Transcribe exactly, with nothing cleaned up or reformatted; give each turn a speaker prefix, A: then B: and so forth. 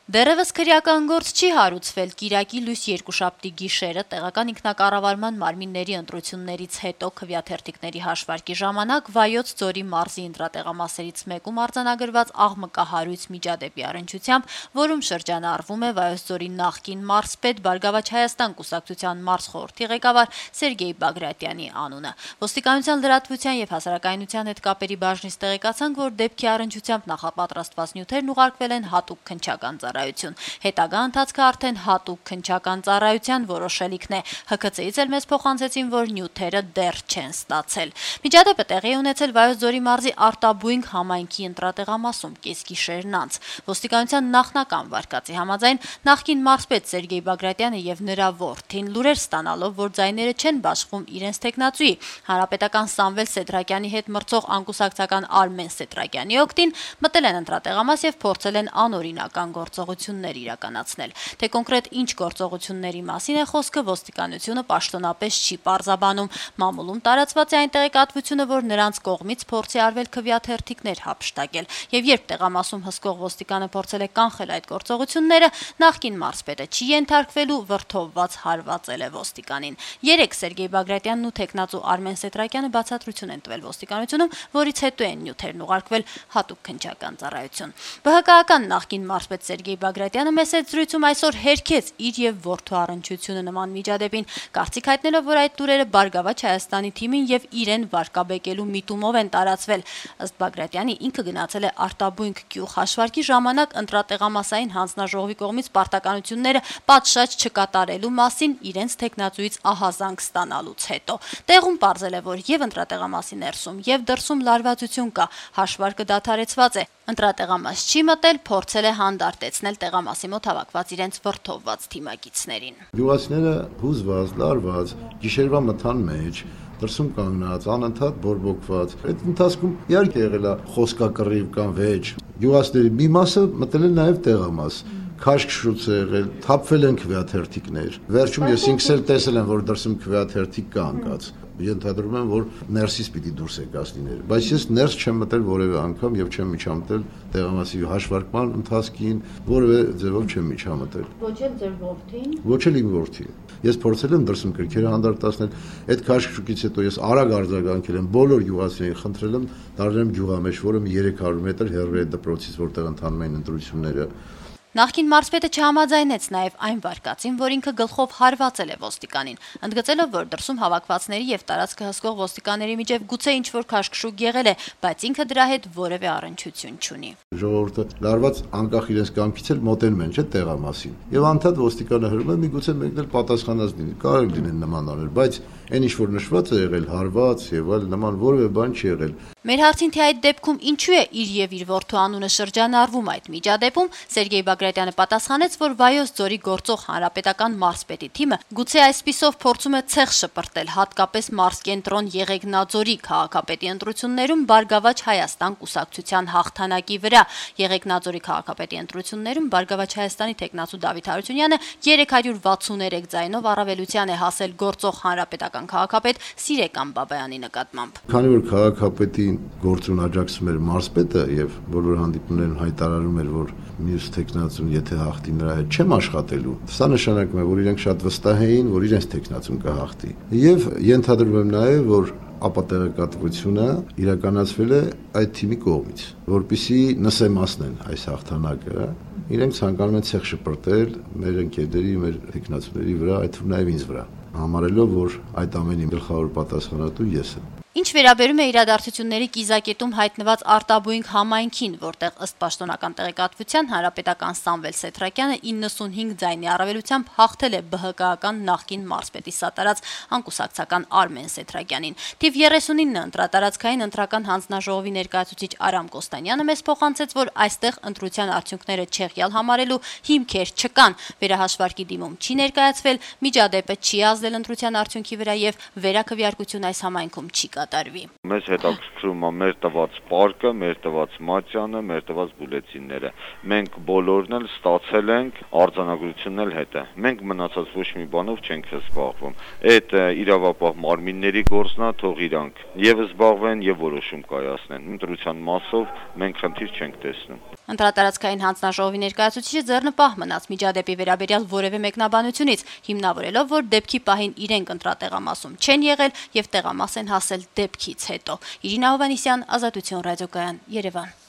A: Դեռևս քրեական գործ չի հարուցվել Կիրակի լույս երկուշաբթի գիշերը տեղական ինքնակառավարման մարմինների ընտրություններից հետո քվեաթերթիկների հաշվարկի ժամանակ Վայոց ձորի մարզի ընտրատեղամասերից մեկում արձանագրված աղմկահարույց միջադեպի առնչությամբ, որում շրջանառվում է Վայոց ձորի նախկին մարզպետ Բարգավաճ Հայաստան կուսակցության մարզխորհրդի ղեկավար Սերգեյ Բագրատյանի անունը։ Ոստիկանության լրատվության եւ հասարակայնության հետ կապերի բաժնից տեղեկացանք, որ դեպքի առնչությամբ նախապատրաստված նյութերն ուղարկվել են հատուկ քննչական ծառայություն։ Հետագա ընթացքը արդեն հատուկ քննչական ծառայության որոշելիքն է։ Հ K C-ից էլ մեզ փոխանցեցին, որ նյութերը դեռ չեն ստացել։ Միջադեպը տեղի ունեցել Վայոց ձորի մարզի Արտաբույնք համայնքի ընտրատեղամասում կեսգիշերն անց։ Ոստիկանության նախնական վարկածի համաձայն նախկին մարզպետ Սերգեյ Բագրատյանը եւ նրա որդին լուրեր ստանալով, որ ձայները չեն բաշխվում իրենց տեխնացուի հանրապետական Սամվել Սեդրակյանի հետ մրցող անկուսակցական Արմեն Սեդրակյանի օգտին, մտել են ընտրատեղամաս եւ փորձել են անօրինական գործողություններ իրականացնել։ Թե կոնկրետ ինչ գործողությունների մասին է խոսքը, ոստիկանությունը պաշտոնապես չի պարզաբանում։ Մամուլում տարածված է այն տեղեկատվությունը, որ նրանց կողմից փորձի արվել քվեաթերթիկներ հափշտակել, եւ երբ տեղամասում հսկող ոստիկանը փորձել է կանխել այդ գործողությունները, նախկին մարզպետը չի ենթարկվելու, վրդովված հարվածել է ոստիկանին։ Երեք Սերգեյ Բագրատյանն ու տեխնացու Արմեն Սեդրակյանը բացատրություն են տվել ոստիկանությունում, որից հետո են նյութերն ուղարկվել հատուկ քննչական ծառայություն։ Բ Հ K-ական նախկին մարզպետ Սերգեյ Բագրատյանը մեծ զրույցում այսօր հերքեց իր եւ որդու առնչությունը նման միջադեպին, կարծիք հայտնելով, որ այդ լուրերը Բարգավաճ Հայաստանի թիմին եւ իրեն վարկաբեկելու միտումով են տարածվել։ Ըստ Բագրատյանի, ինքը գնացել է Արտաբույնք գյուղ հաշվարկի ժամանակ ընտրատեղամասային հանձնաժողովի կողմից պարտականությունները պատշաճ չկատարելու մասին իրենց տեխնացուից ահազանգ ստանալուց հետո։ Տեղում պարզել է, որ եւ ընտրատեղամասի ներսում եւ դրսում լարվածություն կա, հաշվարկը դադարեցված է։ Ընտրատեղամաս չի մտել, փորձել է հանդարտեցնել տեղամասի մոտ հավաքված իրենց վրդովված թիմակիցներին։
B: Գյուղացիները հուզված, լարված, գիշերվա մթան մեջ, դրսում կանգնած, անընդհատ բորբոքված։ Այդ ընթացքում իհարկե եղել է խոսքակռիվ կամ վեճ։ Գյուղացիների մի մասը մտել են նաև տեղամաս։ Քաշքշուց է եղել, թափվել են քվեաթերթիկներ։ Վերջում ես ինքս էլ տեսել եմ, որ դրսում քվեաթերթիկ կա անկած։ Ենթադրում եմ, որ ներսից պիտի դուրս եկած լիներ, բայց ես ներս չեմ մտել որևէ անգամ եւ չեմ միջամտել տեղամասի հաշվարկման ընթացքին, որևէ ձևով չեմ միջամտել։
A: Ոչ էլ ձեր որդին։
B: Ոչ էլ իմ որդին։ Ես փորձել եմ դրսում կրքերը հանդարտացնել, այդ քաշքշուկից հետո ես արագ արձագանքել եմ բոլոր գյուղացիներին, խնդրել եմ դառնեմ գյուղամեջ, որը երեք հարյուր մետր հեռու է դպրոցից, որտեղ ընթանում են ընտրությունները։
A: Նախկին մարզպետը չհամաձայնեց նաև այն վարկածին, որ ինքը գլխով հարվածել է ոստիկանին, ընդգծելով, որ դրսում հավաքվածների եւ տարածքը հսկող ոստիկանների միջև գուցե ինչ-որ քաշքշուկ եղել է, բայց ինքը դրա հետ որևէ առնչություն չունի։
B: Ժողովուրդը լարված անկախ իրենց կամքից էլ մոտենում են, չէ՞ տեղամասին։ Եվ անդադ ոստիկանը հրում է, միգուցե մեկն էլ պատասխանած լինի, կարող լինեն նման անել, բայց այն ինչ որ նշված է եղել, հարված եւ այլ նման որևէ բան չի եղել։
A: Մեր հարցին թե այդ դեպքում ինչու է իր եւ իր որդու անունը շրջանառվում այդ միջադեպում, Սերգեյ Բագրատյանը պատասխանեց, որ Վայոց ձորի գործող հանրապետական մարզպետի թիմը գուցե այսպիսով փորձում է ցեղ շպրտել հատկապես մարզկենտրոն Եղեգնաձորի քաղաքապետի ընտրություններում Բարգավաճ Հայաստան կուսակցության հաղթանակի վրա։ Եղեգնաձորի քաղաքապետի ընտրություններում Բարգավաճ Հայաստանի տեխնացու Դավիթ Հարությունյանը երեք հարյուր վաթսուներեք ձայնով առավելության է հասել գործող հանրապետական քաղաքապետ Սիրեկան Բաբայանի նկատմամբ։
B: Քանի որ քաղաքապետին գործուն աջակցում էր մարզպետը եւ բոլոր հանդիպումներում հայտարարում էր, որ մյուս տեխնացուն եթե հաղթի նրա հետ չեմ աշխատելու, սա նշանակում է, որ իրենք շատ վստահ էին, որ իրենց տեխնացուն կհաղթի։ Եվ ենթադրում եմ նաեւ, որ ապատեղեկատվությունը իրականացվել է այդ թիմի կողմից, որպեսզի նսեմացնեն այս հաղթանակը, իրենք ցանկանում են ցեղ շպրտել մեր ընկերների, մեր տեխնացուների վրա, այդ թվում նաև ինձ վրա, համարելով, որ այդ ամենի գլխավոր պատասխանատու ես եմ։
A: Ինչ վերաբերում է իրադարձությունների կիզակետում հայտնված Արտաբույնք համայնքին, որտեղ ըստ պաշտոնական տեղեկատվության հանրապետական Սամվել Սեդրակյանը իննսունհինգ ձայնի առավելությամբ հաղթել է Բ Հ K-ական նախկին մարզպետի սատարած անկուսակցական Արմեն Սեդրակյանին։ Թիվ երեսունինը ընտրատարածքային ընտրական հանձնաժողովի ներկայացուցիչ Արամ Կոստանյանը մեզ փոխանցեց, որ այստեղ ընտրության արդյունքները չեղյալ համարելու հիմքեր չկան, վերահաշվարկի դիմում չի ներկայացվել, միջադեպը չի ազդել ընտրության արդյունքի վրա եւ վերաքվեարկություն այս համայնքում չի կատարվի։
C: Մեզ հետաքրքրում է մեր տված պարկը, մեր տված մատյանը, մեր տված բուլետինները։ Մենք բոլորն էլ ստացել ենք, արձանագրությունն էլ հետ է։ Մենք մնացած ոչ մի բանով չենք զբաղվում։ Այդ իրավապահ մարմինների գործն է, թող իրանք եւ զբաղվեն եւ որոշում կայացնեն։ Ընտրության մասով մենք խնդիր չենք տեսնում։
A: Ընտրատարածքային հանձնաժողովի ներկայացուցիչը ձեռնպահ մնաց միջադեպի վերաբերյալ որևէ մեկնաբանությունից, հիմնավորելով, որ դեպքի պահին իրենք ընտրատեղամասում չեն եղել եւ տեղամաս են հասել դեպքից հետո։ Իրինա Հովհաննիսյան, Ազատություն ռադիոկայան, Երևան։